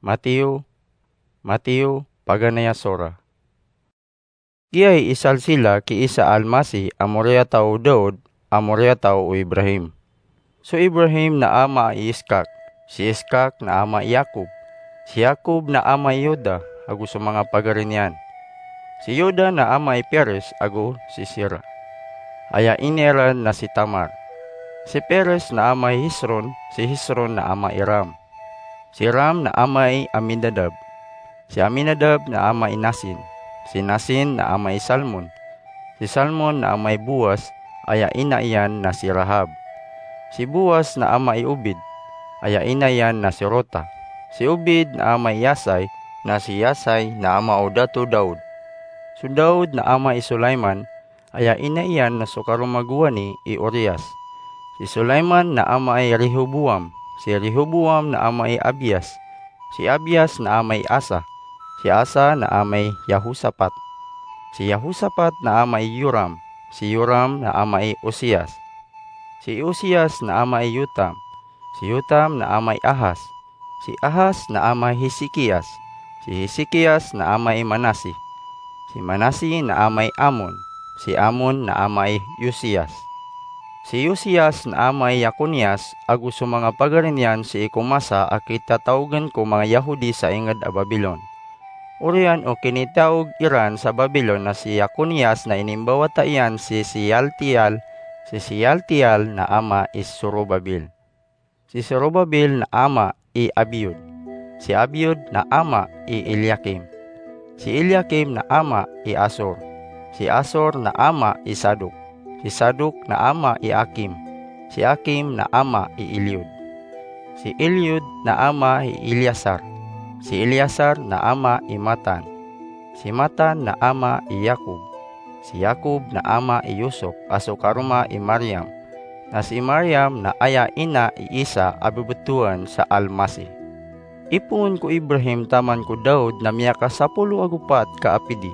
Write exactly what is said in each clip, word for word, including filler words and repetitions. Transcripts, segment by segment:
Matiyo, Matiyo, paganay a sora. Giyai i salsila ki Isa a Almasih a moriyataw o Daud a moriyataw o Ibrahim. So Ibrahim na ama i Iskak, si Iskak na ama i Yakob, si Yakob na ama i Yuda ago so manga pagari niyan, si Yuda na ama i Peres ago si Sera, aya ina iran na si Tamar. Si Peres na ama i Hesron, si Hesron na ama i Ram, si Ram na ama i Aminadab, si Aminadab na ama i Nasin, si Nasin na ama i Salmon, si Salmon na ama i Boaz, aya ina iyan na si Rahab, si Boaz na ama i Obed, aya ina iyan na si Ruta, si Obed na ama i Yisay, na si Yisay na ama o Dato Daud, so Daud na ama i Sulaiman, aya ina iyan na so karoma gowani i Urias, si Sulaiman na ama i Rehoboam, si Rehoboam na ama i Abias, si Abias na ama i Asa, si Asa na ama i Yehosafat, si Yehosafat na ama i Yoram, si Yoram na ama i Usias, si Usias na ama i Yotam, si Yotam na ama i Ahas, si Ahas na ama i Hesekias, si Hesekias na ama i Manasi, si Manasi na ama i Amon, si Amon na ama i Yosias, si Yosias na ama i Yekonias, ago so manga pagari niyan sii ko masa a kitataogan ko manga Yahudi sa inged a Babilon. Oriyan o kinitaog iran sa Babilon na si Yekonias na inimbawata iyan si Sealtiel, si Sealtiel na ama i Zorobabel, si Zorobabel na ama i Abiud, si Abiud na ama i Eliakim, si Eliakim na ama i Asor, si Asor na ama i Sadok, si Sadok na ama i Akim, si Akim na ama i Eliud, si Eliud na ama i Eliasar, si Eliasar na ama i Matan, si Matan na ama i Yakob, si Yakob na ama i Yosop a so karoma i Mariam, na si Mariam na aya ina i Isa a bebetowan sa Almasih. Ipoon ko Ibrahim taman ko Daud na miyakasapolo ago pat ka a pidi.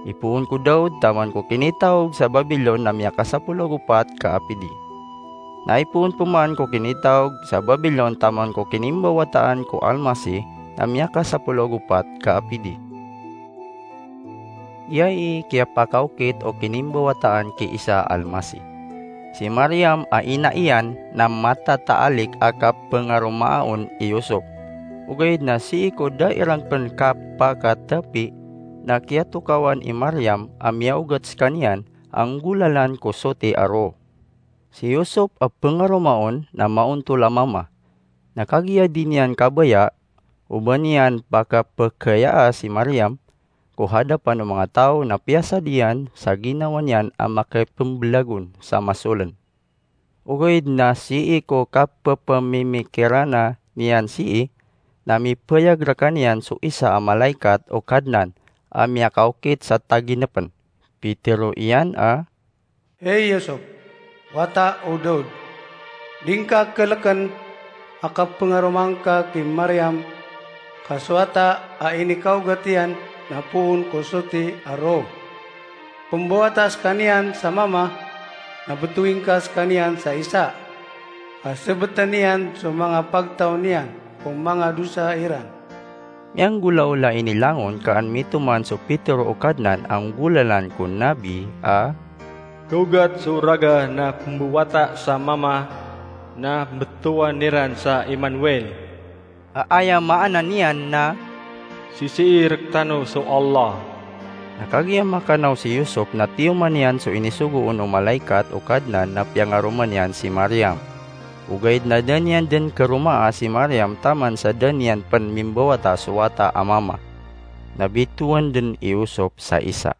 Ipoon ko Daud taman ko kinitaog sa Babilon na miyakasapolo ago pat ka a pidi. Na ipoon peman ko kinitaog sa Babilon taman ko kinimbawataan ko Almasih na miyakasapolo ago pat ka a pidi. Iyai i kiyapakaokit o kinimbawataan ki Isa a Almasih. Si Mariam a ina iyan na matataalik a kapengaromaa on i Yosop. Ogaid na sii ko da iran pen kapakatapi na kiyatokawan i Mariam a miyaogat sekaniyan a nggolalan ko soti a roo. Si Yosop a pengaroma on na maontol a mama. Na kagiya di niyan kabaya o ba niyan pakapekeyaa si Mariam ko hadapan o manga taw na piyasad iyan sa ginawa niyan a makipembelagon sa masolen. Ogaid na sii ko kapepemimikirana niyan sii, na mipayag rekaniyan so isa a malaikat o Kadnan a miyakaokit sa taginepen. Pitero iyan a, Hey Yosop, wata o Daud, di ngka keleken a kapengaroma ngka ki Mariam, ka so wata a inikaogat iyan na poon ko soti a roo. Pembawata sekaniyan sa mama, na betowi ngka sekaniyan sa Isa, ka sebeten iyan so manga pagtaw niyan ko manga dosa iran. Miyanggolaola ini langon ka an mitoman so pitero o Kadnan a nggolalan ko nabi a, Kaogat so raga na pembawata sa mama, na betowan iran sa Emmanuel, a aya maana niyan na, Sisii rektano so Allah. Na kagiya makanaw si Yosop na tiyoman iyan so inisogo on o malaikat o Kadnan na piyangaroma niyan si Mariam. Ogaid na da niyan den keromaa si Mariam taman sa da niyan pen mimbawata so wata a mama. Na bitowan den i Yosop sa Isa.